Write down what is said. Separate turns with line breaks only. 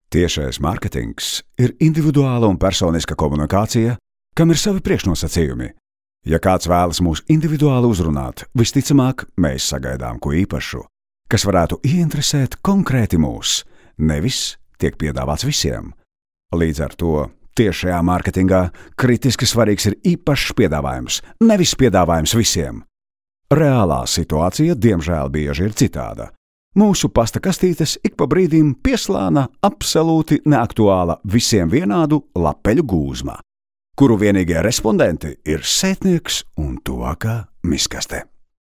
Tiešais mārketings ir individuāla un personiska komunikācija, kam ir savi priekšnosacījumi. Ja kāds vēlas mūs individuāli uzrunāt, visticamāk, mēs sagaidām ko īpašu, kas varētu ieinteresēt konkrēti mūs, nevis tiek piedāvāts visiem. Līdz ar to tiešajā mārketingā kritiski svarīgs ir īpašs piedāvājums, nevis piedāvājums visiem. Reālā situācija, diemžēl, bieži ir citāda. Mūsu pasta kastītes ik pa brīdim pieslāna absolūti neaktuāla visiem vienādu lapeļu gūzma, kuru vienīgie respondenti ir sētnieks un tuvākā miskaste.